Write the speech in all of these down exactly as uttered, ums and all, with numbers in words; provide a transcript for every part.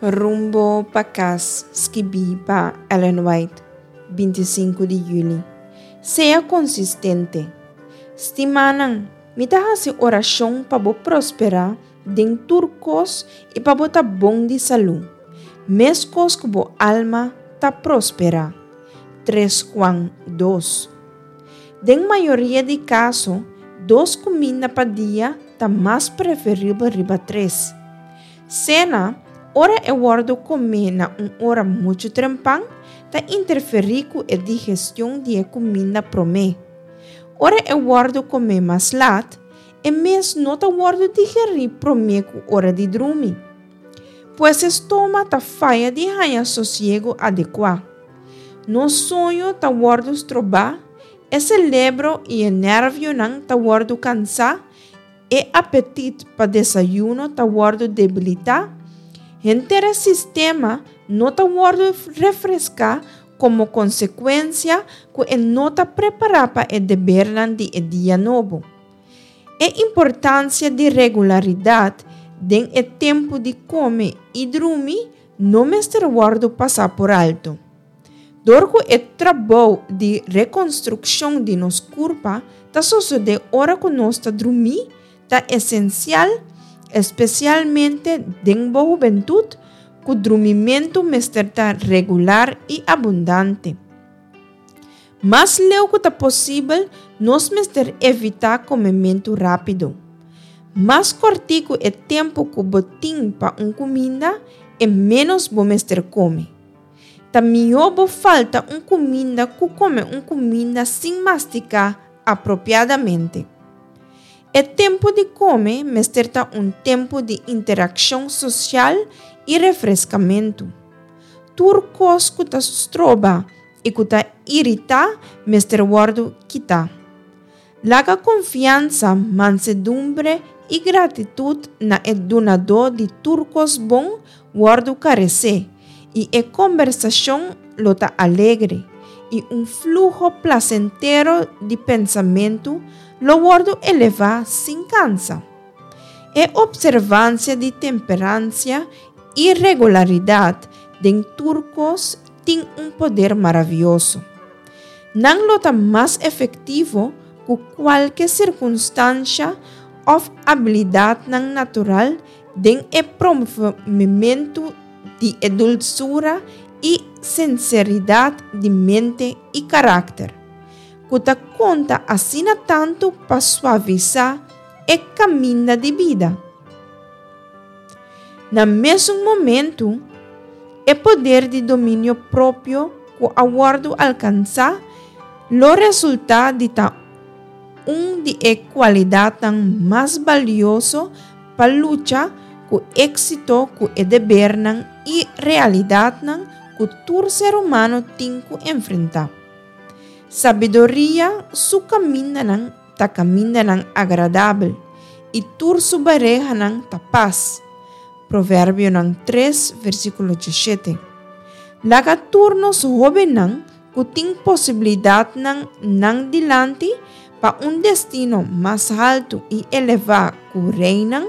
Rumbo pa Kas, skibí pa Ellen White, binti sinku di yüli. Sea konsistente. Stimánan, mi ta hasi orashon pa bo prosperá den tur kos i pa bo ta bon di salú, meskos ku bo alma ta prosperá. Tres Juan dos. Den mayoria di kaso, dos kuminda pa dia ta mas preferibel riba tres. Sena, ora e wòrdu komé na un ora muchu trempan, ta interferí ku e digestion di e kuminda promé. Ora e wòrdu komé mas lat, e mes no ta wòrdu digerí promé ku ora di drumi. Pues e stoma ta faya di haña sosiego adekuá. Nos soño ta wòrdu strobá, e selebro i e nervionan ta wòrdu kansá, e apetit pa desayuno ta wòrdu debilitá, henter e sistema no ta wòrdu refreská komo konsekuensia ku e no ta prepará pa e debernan di e dia nobo. E importansia di regularidat den e tempu di kome i drumi no mester wòrdu pasá por alto. Dor ku e trabou di rekonstrukshon di nos kurpa ta sosodé ora ku nos ta drumí, ta esensial, espesialmente den bo hubentut, ku drumimentu mester ta regular i abundante. Mas leu ku ta posibel, nos mester evitá komementu rápido. Mas kòrtiku e tempu ku bo tin pa un kuminda, e ménos bo mester kome. Ta mihó bo falta un kuminda ku kome un kuminda sin mastiká apropiadamente. E tempu di kome mester ta un tempu di interakshon sosial i refreskamentu. Tur kos ku ta stroba i ku ta iritá mester wòrdu kitá. Laga konfiansa, mansedumbre i gratitut na e Dunadó di tur kos bon wòrdu karesé, i e kombersashon lo ta alegre, i un fluho plasentero di pensamentu lo wòrdu elevá sin kansa. E opservansia di temperansia i regularidat den tur kos tin un poder maravioso. Nan lo ta mas efektivo ku kualke sirkunstansha òf abilidatnan natural den e promovementu di e dulsura i sinseridat di mente i karakter, ku ta konta asina tantu pa suavisá e kaminda di bida. Na mesun momentu, e poder di dominio propio ku a wòrdu alkansá lo resultá di ta un di e kualidatnan mas balioso pa lucha ku éksito ku e debernan i realidatnan ku tur ser humano tin ku enfrentá. Sabiduria su kamindanan ta kamindanan agradabel i tur su barehanan ta pas. Proverbionan tres, versíkulo diesshete. Laga tur nos hóbennan ku tin posibilidatnan nan dilanti pa un destino mas haltu i elevá ku reinan,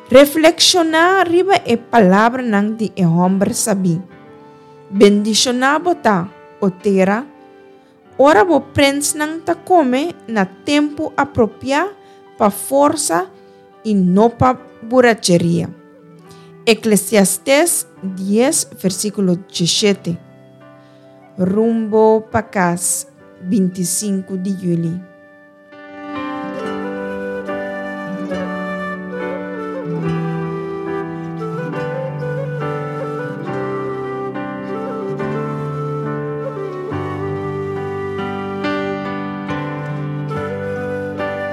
reflekshoná riba e palabranan di e hòmber sabí. Bendishoná bo ta, o tera, ora bo prensnan ta kome na tempu apropiá pa forsa i no pa buracheria. Eklesiastes dies, versíkulo diesshete. Rumbo pa kas, binti sinku di yüli.